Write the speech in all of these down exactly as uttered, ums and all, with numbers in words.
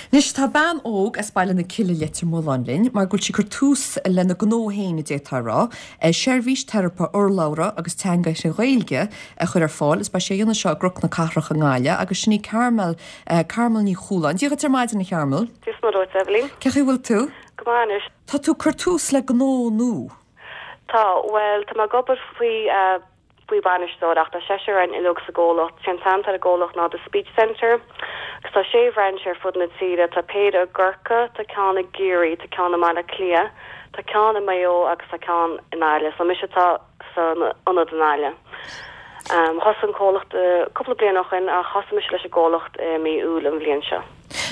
Anois tá bean óg as Baile na Cille Leitir Mealláin linn, mar go bhfuil sí ag cur tús lena gnó féin a d'fhéadfá a rá, seirbhís teiripe urlabhra agus teanga trí Ghaeilge a chur ar fáil is beidh sí á dhéanamh seo i gCnoc na Cathrach i nGaillimh agus sin í Carmel, Carmel Ní Chualáin. Dia dhuit ar maidin a Charmel. Dia is Muire dhuit, Eibhlín. Cén chaoi a bhfuil tú? Go maith anois. Tá tú ag cur tús le gnó nua. Tá, bhuel, tá mé ag obair faoi faoi bhainisteoir ach tá seisear againn uilig sa gcomhlacht. Sé an t-ainm atá ar an gcomhlacht ná The Speech Centre agus tá sé bhrainse ar fud na tíre. Tá péire i gCorcaigh, tá ceann i gCiarraí, tá ceann i mBaile Átha Cliath, tá ceann i Maigh Eo agus tá ceann i nGaillimh. So mise atá san ionad i nGaillimh. Um, thosaigh an comhlacht uh, cúpla bliain ó shin ach thosaigh mise leis an gcomhlacht i mí Iúil an bhliain seo.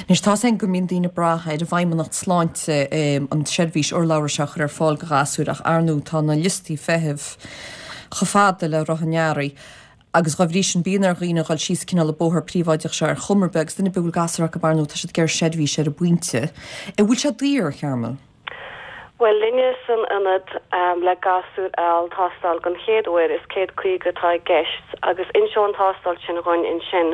Anois tá sé go mbíonn daoine ag brath ar an bhFeidhmeannacht Sláinte an tseirbhís urlabhra seo a chur ar fáil do ghasúir ach ar ndóigh tá na liostaí feithimh chomh fada le roth an earraigh agus dá bhrí sin bíonn ar dhaoine a dhul síos cineál an bóthar príobháideach seo ar chuma ar bith agus duine ar bith a bhfuil gasúr acu ar ndóigh tá siad ag iarraidh seirbhís ar an bpointe. An bhfuil sé daor, a Charmel? Bhuel linne san ionad um, le gasúr a fháil tástáil den chéad uair is céad caoga atá i gceist agus inseoidh an tástáil sin dhúinn ansin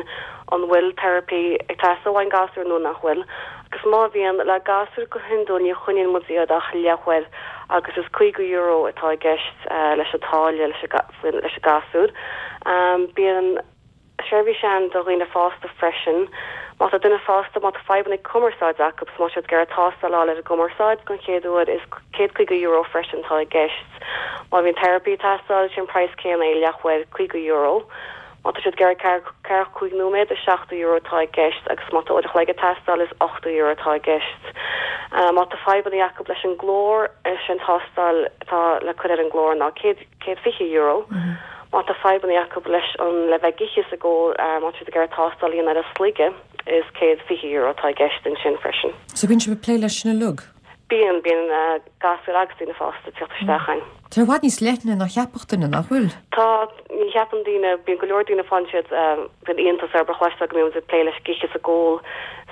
an bhfuil teiripí ag teastáil ón gasúr nó nach bhfuil. Agus má bhíonn le gasúr go hiondúil ní choinníonn muid iad ach leathuair agus is caoga euro atá i gceist uh, leis an táille leis leis an gasúr. Um, bíonn seirbhís ann do dhaoine fásta freisin. Má tá duine fásta má tá fadhbanna cumarsáid acu má siad ag iarraidh tástáil ar a gcumarsáid den chéad uair is céad caoga euro freisin tá i gceist. Má bhíonn teiripí ag teastáil sin praghas céanna é leathuair caoga euro. Má tá siad ag iarraidh ceathracha cúig nóiméad is seachtó euro atá i gceist agus má tá uair an chloig ag teastáil is ochtó euro atá i gceist. Uh, má tá fadhbanna acu leis an nglór sin tástáil atá le cur ar an nglór ná céad fiche euro. Mm -hmm. Má tá fadhbanna acu leis an le bheith ag ithe is ag ól má tá ag iarraidh tástáil ar a sloige is céad fiche euro atá i gceist ansin freisin. So bíonn sibh ag plé leis sin uilig? Bíonn bíonn uh, gasúir agus daoine fásta ag teacht isteach chugainn. Tá i bhfad níos leithne ná cheapfadh duine nach bhfuil? Tá ní cheapann daoine bíonn go leor daoine faigheann siad bíonn iontas orthu cloisteáil go mbíonn ag plé leis an ithe is ag ól.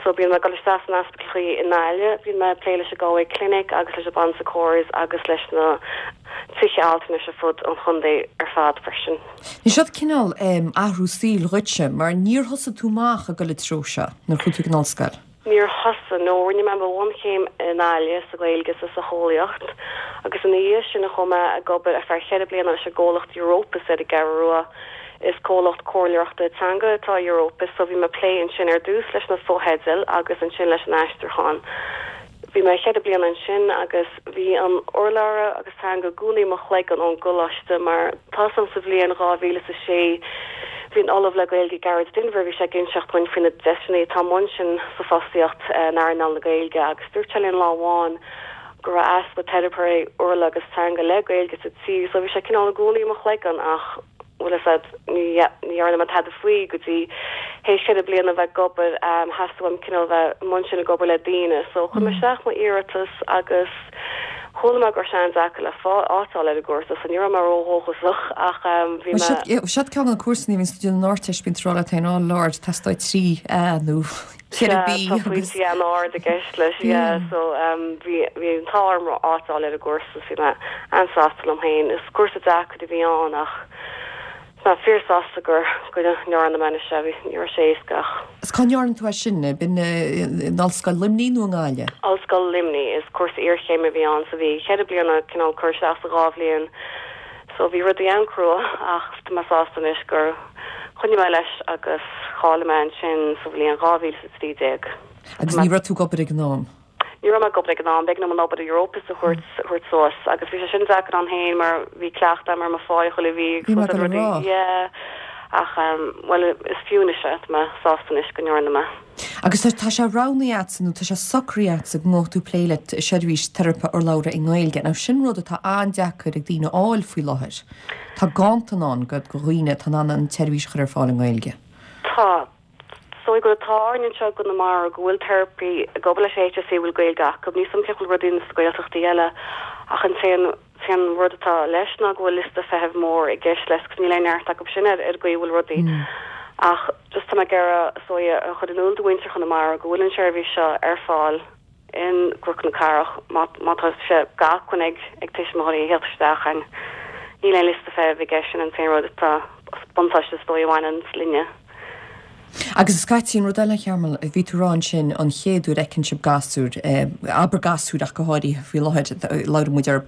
So bíonn mé ag dul isteach san ospidéal i nGaillimh, bíonn mé ag plé leis an Galway Clinic agus leis an Bon Secours agus leis na tithe altranais ar fud an chontae ar fad freisin. Ní seo cineál um, athrú saoil dhuitse, mar níor thosaigh tú amach ag dul an treo seo nuair chuaigh tú go ollscoil. Níor thosaigh nó rinne mé mo bhunchéim i nGaillimh sa Ghaeilge sa socheolaíocht, agus ina dhiaidh sin a chuaigh mé ag obair ar feadh cheithre bliana leis an gcomhlacht Europus ar an gCeathrú Rua. Is comhlacht comhairleoireachta teanga atá Europus, so bhí mé ag plé ansin ar dtús leis na fotheidil agus ansin leis an aistriúchán. Bhí mé cheithre bliana ansin agus bhí an urlabhra agus teanga i gcónaí i mo chloigeann ón gcoláiste mar tá san sa bhliain dhá mhíle is a sé bhí an Ollamh le Gaeilge Gearóid Denvir bhí sé ag inseacht dúinn faoi na deiseanna atá ansin sa fostaíocht in earnáil na Gaeilge agus dúirt sé linn lá amháin go raibh easpa teiripeoirí urlabhra agus teanga le Gaeilge sa tír so bhí sé cineál i gcónaí i mo chloigeann ach bhfuil a fhios agat ní ní dhearna mé tada faoi go dtí théis ceithre bliana bheith ag obair um, theastaigh uaim cineál bheith i mbun sin ag obair le daoine so chuir mé isteach mo iarratas agus chuala mé go raibh sé an-deacair le áit a fháil ar an gcúrsa so ní raibh mé ródhóchasach ach um, bhí mé Seo ceann de na cúrsaí bhíonn tú an Ardteist bíonn tú ag rá leat féin oh Lord teastóidh trí A nó ceithre B Tá pointí an-ard i gceist leis yeah, so um, bhí bhí an t-ádh orm áit a fháil ar an gcúrsa bhí mé an-sásta liom féin is cúrsa deacair a bhí ann ach Tá fíorshásta gur go ndearna mé sé ní raibh sé éasca. Is cá ndearna tú é sin b'in in Ollscoil Luimnigh nó i nGaillimh? Ollscoil Luimnigh is cúrsa iarchéime a bhí ann so bhí ceithre bliana cineál cur isteach sa dhá bhliain so bhí rudaí an-chrua ach tá mé sásta anois gur choinnigh mé leis agus cháiligh mé ansin sa bhliain dhá mhíle is trí déag. Agus ní raibh tú ag obair ag an am? Ní raibh mé ag obair ag an am, b'éigean dom an obair i Europus a thabhairt thabhairt suas agus bhí sé sin deacair ann féin mar bhí cleachtadh agam ar mo phá chuile mhí Bhí mé ag rá. Yeah. Ach um, well is fiú anois é, tá mé sásta anois go ndearna mé. Agus tá sé roghnaithe agatsa nó tá sé socraithe agatsa go ngabhfaidh tú plé le seirbhís teiripe urlabhra i nGaeilge. Now sin rud atá an-deacair ag daoine a fháil faoi láthair. Tá ganntan ann go go dhaoine atá in ann an tseirbhís a chur ar fáil i nGaeilge. Tá So go tá seo go mar go bhfuil teiripeoirí ag obair leis HSE bhfuil Gaeilge acu ní sam bhfuil rudaí na Gaeltachtaí eile ach an t-aon t-aon rud atá leis ná go bhfuil liosta feithimh mór i gceist leis 'cause níl aon neart acu sin ar ar go bhfuil rudaí. Mm. Ach just tá mé ag iarraidh so a chur in iúl do mhuintir Chonamara go bhfuil an seirbhís seo ar fáil in gCnoc na Cathrach má tá sé d'acmhainn ag ag tuismitheoirí a theacht isteach an níl aon liosta feithimh i gceist sin an t-aon rud atá buntáiste is dóigh a bhaineann linne. Agus scaití an rud eile Chearmail, bhí tú rá ansin an chéad uair a fheiceann sibh gasúr, abair gasúir ach go háirithe faoi láthair, labhrann muid orthu,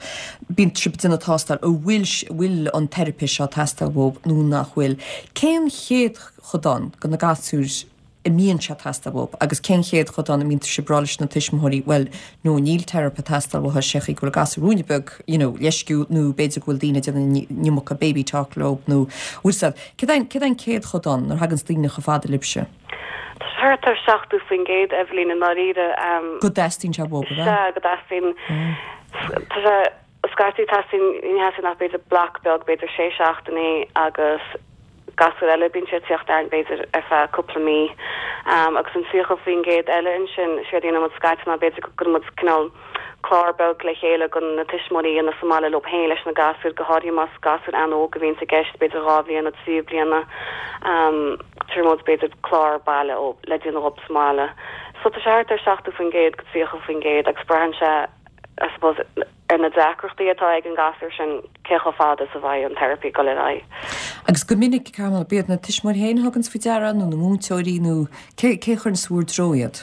bíonn sibh ag déanamh tástáil an bhfuil bhfuil an teiripe seo ag teastáil uathu nó nach bhfuil. Cén céatadán de na gasúir a mbíonn sé ag teastáil uathu agus cén céatadán a mbíonn sibh ag rá leis na tuismitheoirí bhuel no níl teiripe ag teastáil uathu sé go bhfuil gasúr ruainne beag you know, leisciúil nó b'fhéidir go bhfuil daoine ag déanamh an iomarca baby talk leo nó bhfuil siad. Céard é céard é an céatadán nuair a thagann daoine chomh fada libhse? Tá sé thart ar seachtó faoin gcéad Eibhlín i ndáiríre. Go dteastaíonn sé uathu, Sea, go dteastaíonn. Tá sé scaití teastaíonn ní theastaíonn ach b'fhéidir bloc beag b'fhéidir sé seachtainí agus gasúir eile bíonn sé ag tíocht orainn b'fhéidir ar feadh cúpla mí. Agus an tríocha faoin gcéad eile ansin, séard a dhéanann muid scaití ná b'fhéidir go gcuireann muid cineál clár beag le chéile do na tuismitheoirí a dhéanamh sa mbaile leo féin leis na gasúir, go háirithe más gasúir an-óg a bhíonns i gceist, b'fhéidir dhá bhliain nó trí bliana, cuireann muid b'fhéidir clár baile le déanamh dhóibh sa mbaile. So tá sé thart ar seachtó faoin gcéad go tríocha faoin gcéad agus braitheann sé I suppose, ar na deacrachtaí atá ag an gasúr sin, cé chomh fada is a bheidh an teiripe ag dul ar aghaidh. Agus go minic, Carmel, b'iad na tuismitheoirí féin a thuganns faoi deara nó na múinteoirí nó cé cé a chuireann bhur dtreo iad?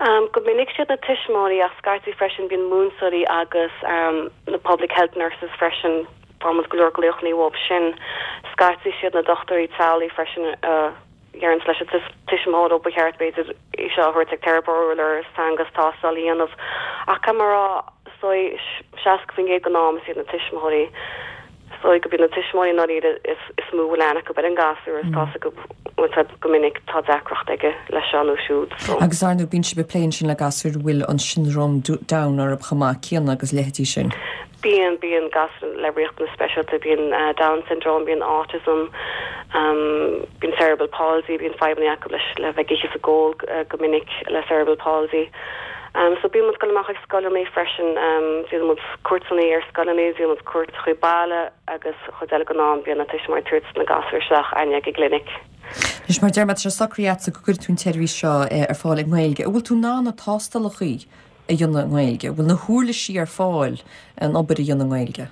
Um, go minic siad na tuismitheoirí ach scaití freisin bíonn múinteoirí agus um, na public health nurses freisin, faigheann muid go leor glaochanna uathu sin. Scaití siad na dochtúirí teaghlaigh freisin a dheireanns leis an tuismitheoir ó ba cheart b'fhéidir í seo a thabhairt ag teiripeoir teanga agus tástáil a dhéanamh. Ach caithfidh mé a rá, is dóigh, seasca faoin gcéad den am is iad na tuismitheoirí. Is dóigh go bíonn na tuismitheoirí i ndáiríre is is mó a bhfuil aithne acu ar an gasúr is tá's acu bhfuil go minic tá deacracht aige leis seo nó siúd. So. Agus ar ndóigh bíonn sibh ag plé ansin le gasúir a bhfuil an siondróm Down orthu chomh maith céanna agus leithéidí sin. Bíonn, bíonn gasúir le riachtanais speisialta, bíonn Down syndrome, bíonn autism, bíonn cerebral palsy, bíonn fadhbanna acu leis le bheith ag ithe is ag ól go minic le cerebral palsy. So bíonn muid ag dul amach chuig scoileanna freisin, déanann muid cuairteanna ar scoileanna, déanann muid cuairt chuig baile agus chuid eile den am bíonn na tuismitheoirí ag tabhairt na gasúir isteach againne ag an gclinic. Anois mar deir mé, tá sé socraithe agatsa go gcuirfidh tú an tseirbhís seo ar fáil i nGaeilge. An bhfuil tú in ann na tástálacha a dhéanamh i nGaeilge? An bhfuil na huirlisí ar fáil an obair a dhéanamh i nGaeilge?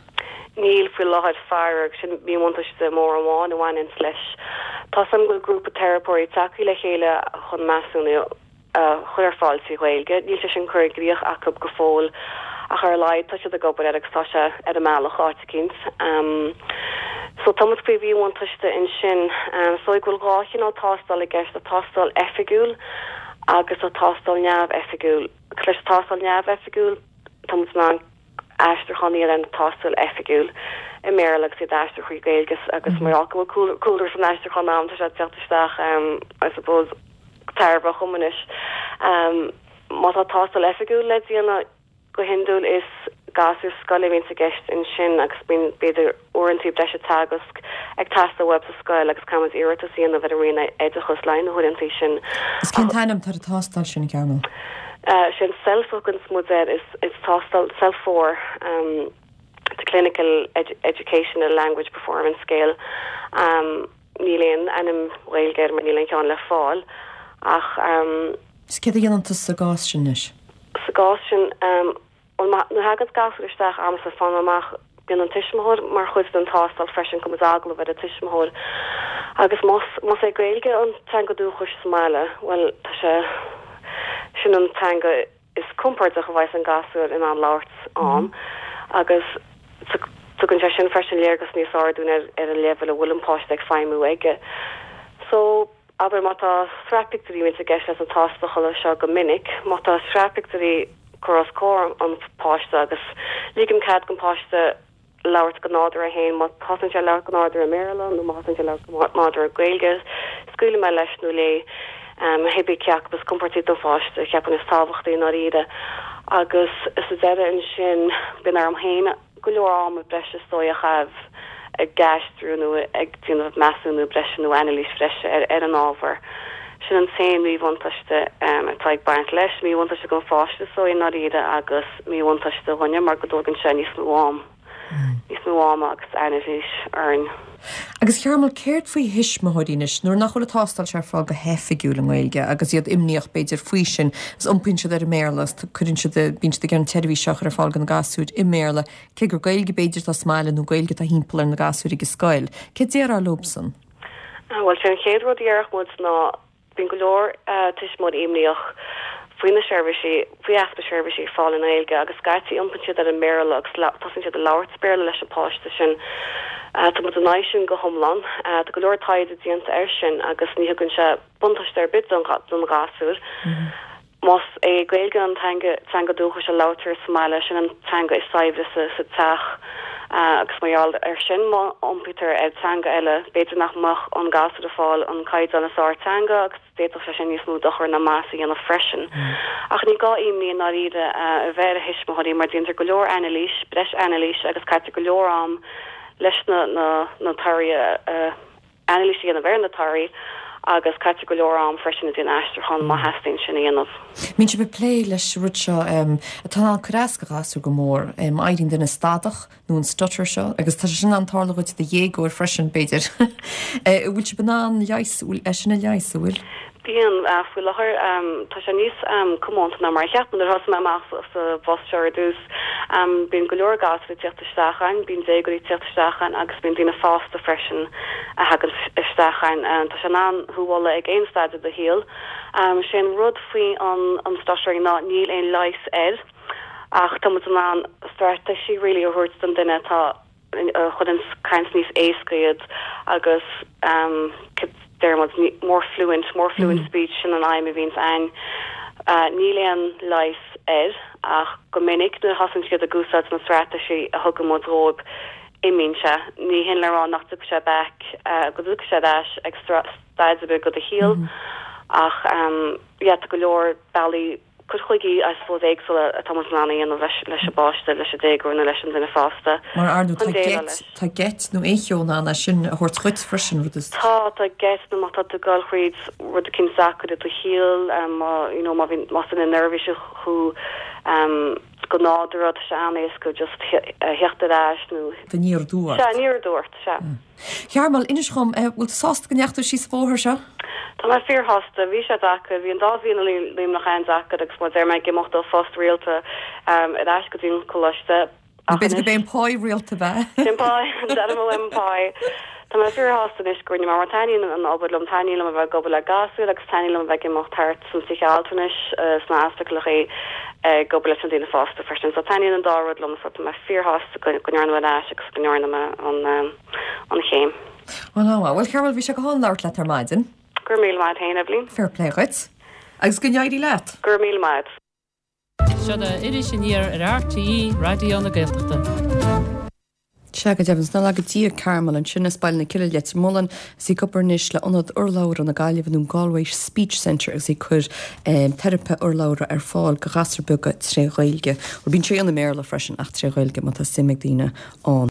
Níl faoi láthair, faraor, sin míbhuntáiste mór amháin a bhaineanns leis. Tá 's agam go bhfuil grúpa teiripeoirí tagtha le chéile chun measúnú a chur ar fáil trí Ghaeilge. Níl sé sin curtha i gcrích acu go fóill ach ar a laghad tá siad ag obair air agus tá sé ar an mbealach áit eicínt. So tá muid faoi mhíbhuntáiste ansin. Is dóigh go bhfuil dhá chineál tástáil i gceist, tá tástáil oifigiúil agus tá tástáil neamhoifigiúil. Agus leis an tástáil neamhoifigiúil, tá muid in ann aistriúchán a dhéanamh ar an tástáil oifigiúil i mBéarla agus iad a aistriú chuig Gaeilge agus mar gheall go bhfuil cúlra san aistriúchán agam, tá sé ag teacht isteach I suppose go tairbheach dhom anois. Má tá tástáil oifigiúil le déanamh, Go hiondúil is gasúir scoile a bhíonns i gceist ansin agus bíonn b'fhéidir uaireanta breise teagasc ag teastáil uathu sa scoil agus caithfidh muid iarratas a dhéanamh ar an Roinn Oideachais le haghaidh na huaireanta sin. Is cén t-ainm atá ar an tástáil sin, a Chearmail? Sé an CELF a thuganns muid air, is is tástáil CELF four, the Clinical Educational Language Performance Scale. Níl aon ainm Ghaeilge air mar níl aon cheann le fáil ach. Is céard a dhéanann tusa sa gcás sin anois? Sa gcás sin, bhuel, má, nuair a thagann gasúr isteach agamsa, faighim amach, bíonn an tuismitheoir mar chuid den tástáil freisin, cuireann muid agallamh ar an tuismitheoir agus más, más é Gaeilge an teanga dúchais sa mbaile, bhuel, tá sé, sin an teanga is compordach a bheas an gasúr in ann labhairt ann agus tugann sé sin freisin léargas níos fearr dúinn ar, ar an leibhéal a bhfuil an páiste ag feidhmiú aige. So. Abair má tá sraith pictiúirí bíonn i gceist leis na tástálacha seo go minic, má tá sraith pictiúirí curtha os comhair an pháiste agus ligim cead don pháiste labhairt go nádúrtha féin, má thosaíonn sé ag labhairt go nádúrtha i mBéarla nó má thosaíonn sé ag labhairt go nádúrtha i Gaeilge, scaoilim mé leis nó léi, cibé cé acu is compordaí don pháiste a cheapaim is tábhachtaí i ndáiríre. Agus sa deireadh ansin, bíonn orm féin. go leor ama breise is dóigh a chaitheamh ag aistriú nó ag déanamh measúnú breise nó anailís bhreise ar an ábhar. Sin an t-aon mhíbhuntáiste atá ag baint leis, míbhuntáiste don pháiste is dóigh i ndáiríre agus míbhuntáiste dhúinne mar go dtógann sé níos mó am, níos mó ama agus anailís orainn. Agus a Chearmail, céard faoi thuismitheoirí anois, nuair nach bhfuil an tástáil seo ar fáil go hoifigiúil i nGaeilge agus iad imníoch b'fhéidir faoi sin, is iompaíonn siad ar an mBéarla is cuireann siad, bíonn siad ag iarraidh an tseirbhís seo a chur ar fáil do na gasúir i mBéarla, cé gur Gaeilge b'fhéidir atá sa mbaile nó Gaeilge atá thimpeall ar na gasúir ag an scoil. Céard déarfá leobsan? Bhuel sé an chéad rud a déarfadh muid ná bíonn go leor tuismitheoirí imníoch faoi na seirbhísí faoi easpa seirbhísí ar fáil i nGaeilge agus scaití iompaíonn siad ar an mBéarla agus tosaíonn siad ag labhairt Béarla leis an páiste sin. Tá muid in aghaidh sin go hiomlán. Tá go leor taighde déanta air sin agus ní thugann sé buntáiste ar bith don don ghasúr. Más é Gaeilge an teanga teanga dúchais a labhraítear sa mbaile sin an teanga is saibhre sa sa teach agus mar gheall ar sin má iompaítear ar teanga eile b'fhéidir nach mbeadh an gasúr ag fáil an caighdeán is fearr teanga agus d'fhéadfadh sé sin níos mó dochar ná maitheas a dhéanamh freisin. Ach ní gá imní i ndáiríre a bheith ar a thuismitheoirí mar déantar go leor anailís, breis anailís agus caitear go leor am leis na na na torthaí anailís a dhéanamh ar na torthaí agus caitear go leor am freisin ag déanamh aistriúchán má theastaíonn sin a dhéanamh. Mbíonn sibh ag plé leis an rud seo atá in ann cur as do ghasúr go mór, éiríonn duine stadach nó an stutter seo, agus tá sé sin in ann tarlú dhuit i do dhéagóir freisin b'fhéidir. Bhfuil sibh in ann leigheas, é sin a leigheas, an bhfuil? Bíonn faoi láthair tá sé níos comónta ná mar a cheap nuair a thosaigh mé amach sa bpost seo ar dtús. Bíonn go leor gasúir ag teacht isteach ann, bíonn déagóirí ag teacht isteach ann agus bíonn daoine fásta freisin a thagann isteach ann. Tá sé in ann thú a bhualadh ag aon staid i do shaol. Sé an rud faoi an an stuttering ná níl aon leigheas air ach tá muid in ann straitéisí really a thabhairt don duine atá chun an caint níos éasca iad agus um, deir muid more fluent, more fluent mm. speech sin an aidhm a bhíonns ann. Uh, níl aon leigheas air ach go minic nuair a thosaíonn siad ag úsáid na straitéisí a thugann muid dóibh imíonn sé. Ní hin le rá nach dtiocfaidh sé back uh, go dtiocfaidh sé ar ais ag staid ar bith de do shaol mm -hmm. ach um, yeah, tá go leor bealaí cur chuige I suppose éagsúla atá muid in ann a dhéanamh leis leis an bpáiste leis an déagóir nó leis an duine fásta. Mar ar ndóigh tá geit tá geit nó aon cheo in ann é sin a thabhairt chuit freisin rud is. Tá tá geit nó má tá tú ag gabháil thríd rud éicint deacair i do shaol um, má you know, má bhíonn más duine neirbhíseach thú um, go nádúrtha tá sé an-éasca just theacht ar ais nó aniar aduaidh. Sea aniar aduaidh sea. Chearmal inis dhom bhfuil tú sásta go ndeachaigh tú síos an bóthar seo? Tá mé fíorshásta, bhí sé deacair, bhí an dá bhliain i Luimneach an-deacair agus mar deir mé ag imeacht ó phost rialta um, ar ais go dtí an coláiste. B'fhéidir go b'é pá rialta bheith. Sin pá an pá. Tá mé fíorshásta anois go mar taitníonn an obair liom taitníonn liom a bheith ag obair le gasúir agus taitníonn liom a bheith ag imeacht thart san teach altranais sna hospidéalacha ag obair leis an daoine fásta freisin. So taitníonn an dá rud liom so tá mé fíorshásta go ndearna mé leis agus go ndearna mé an an chéim. Well well Carol bhí sé go hálainn labhairt leat ar maidin. Gur míle maith féin Evelyn. Fair play dhuit. Agus go n-éirí leat. Gur míle maith. Seo Iris Aniar ar RTÉ Raidió na Gaeltachta. Sea go deimhin sna go dtí Carmel ansin as Baile na Cille Leitir Mealláin is í ag obair anois le ionad urlabhra na Gaillimhe nó Galway Speech Centre agus í ag cur um, teiripe urlabhra ar fáil go gasúir beaga tré Ghaeilge. Ó bíonn sé i mBéarla freisin ach tré Ghaeilge má tá suim ag daoine ann.